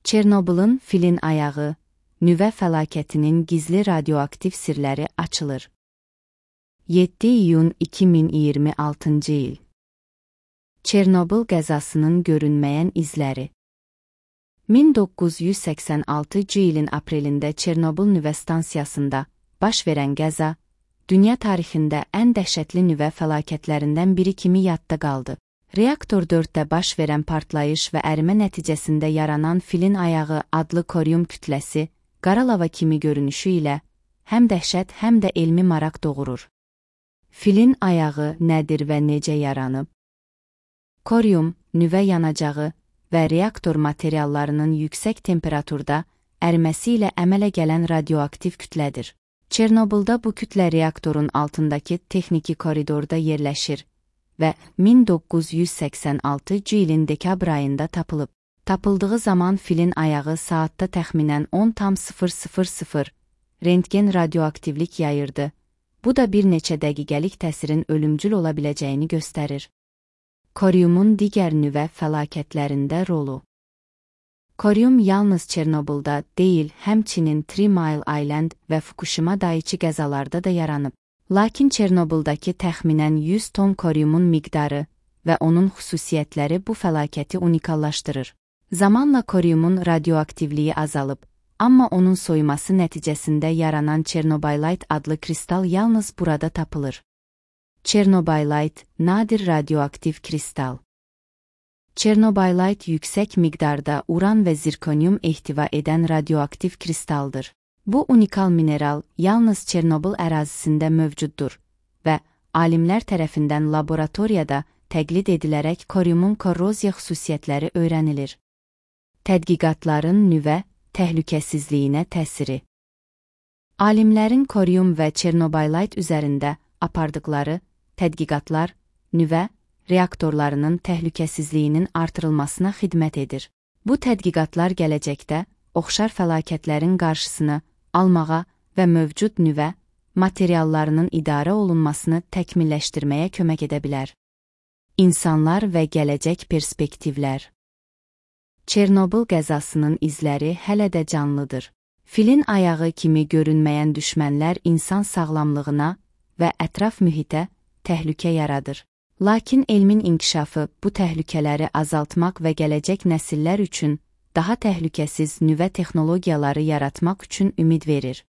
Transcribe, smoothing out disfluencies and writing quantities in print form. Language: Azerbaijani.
Çernobılın filin ayağı, nüvə fəlakətinin gizli radioaktiv sirləri açılır. 7 iyun 2026-cı il. Çernobıl qəzasının görünməyən izləri. 1986-cı ilin aprelində Çernobıl nüvə stansiyasında baş verən qəza, dünya tarixində ən dəhşətli nüvə fəlakətlərindən biri kimi yadda qaldı. Reaktor 4-də baş verən partlayış və ərimə nəticəsində yaranan filin ayağı adlı korium kütləsi, qara lava kimi görünüşü ilə həm dəhşət, həm də elmi maraq doğurur. Filin ayağı nədir və necə yaranıb? Korium, nüvə yanacağı və reaktor materiallarının yüksək temperaturda əriməsi ilə əmələ gələn radioaktiv kütlədir. Çernobılda bu kütlə reaktorun altındakı texniki koridorda yerləşir və 1986-cı ilin dekabr ayında tapılıb. Tapıldığı zaman filin ayağı saatda təxminən 10,000 rentgen radioaktivlik yayırdı. Bu da bir neçə dəqiqəlik təsirin ölümcül ola biləcəyini göstərir. Koriumun digər nüvə fəlakətlərində rolu. Korium yalnız Çernobılda deyil, həmçinin 3 Mile Island və Fukushima Daiichi qəzalarda da yaranıb. Lakin Çernobıldakı təxminən 100 ton koriumun miqdarı və onun xüsusiyyətləri bu fəlakəti unikallaşdırır. Zamanla koriumun radioaktivliyi azalıb, amma onun soyuması nəticəsində yaranan Çernobaylit adlı kristal yalnız burada tapılır. Çernobaylit, nadir radioaktiv kristal. Çernobaylit yüksək miqdarda uran və zirkonium ehtiva edən radioaktiv kristaldır. Bu unikal mineral yalnız Çernobıl ərazisində mövcuddur və alimlər tərəfindən laboratoriyada təqlid edilərək koriumun korroziya xüsusiyyətləri öyrənilir. Tədqiqatların nüvə təhlükəsizliyinə təsiri. Alimlərin korium və Çernobaylit üzərində apardıqları tədqiqatlar nüvə reaktorlarının təhlükəsizliyinin artırılmasına xidmət edir. Bu tədqiqatlar gələcəkdə oxşar fəlakətlərin qarşısını almağa və mövcud nüvə materiallarının idarə olunmasını təkmilləşdirməyə kömək edə bilər. İnsanlar və gələcək perspektivlər. Çernobıl qəzasının izləri hələ də canlıdır. Filin ayağı kimi görünməyən düşmənlər insan sağlamlığına və ətraf mühitə təhlükə yaradır. Lakin elmin inkişafı bu təhlükələri azaltmaq və gələcək nəsillər üçün daha təhlükəsiz nüvə texnologiyaları yaratmaq üçün ümid verir.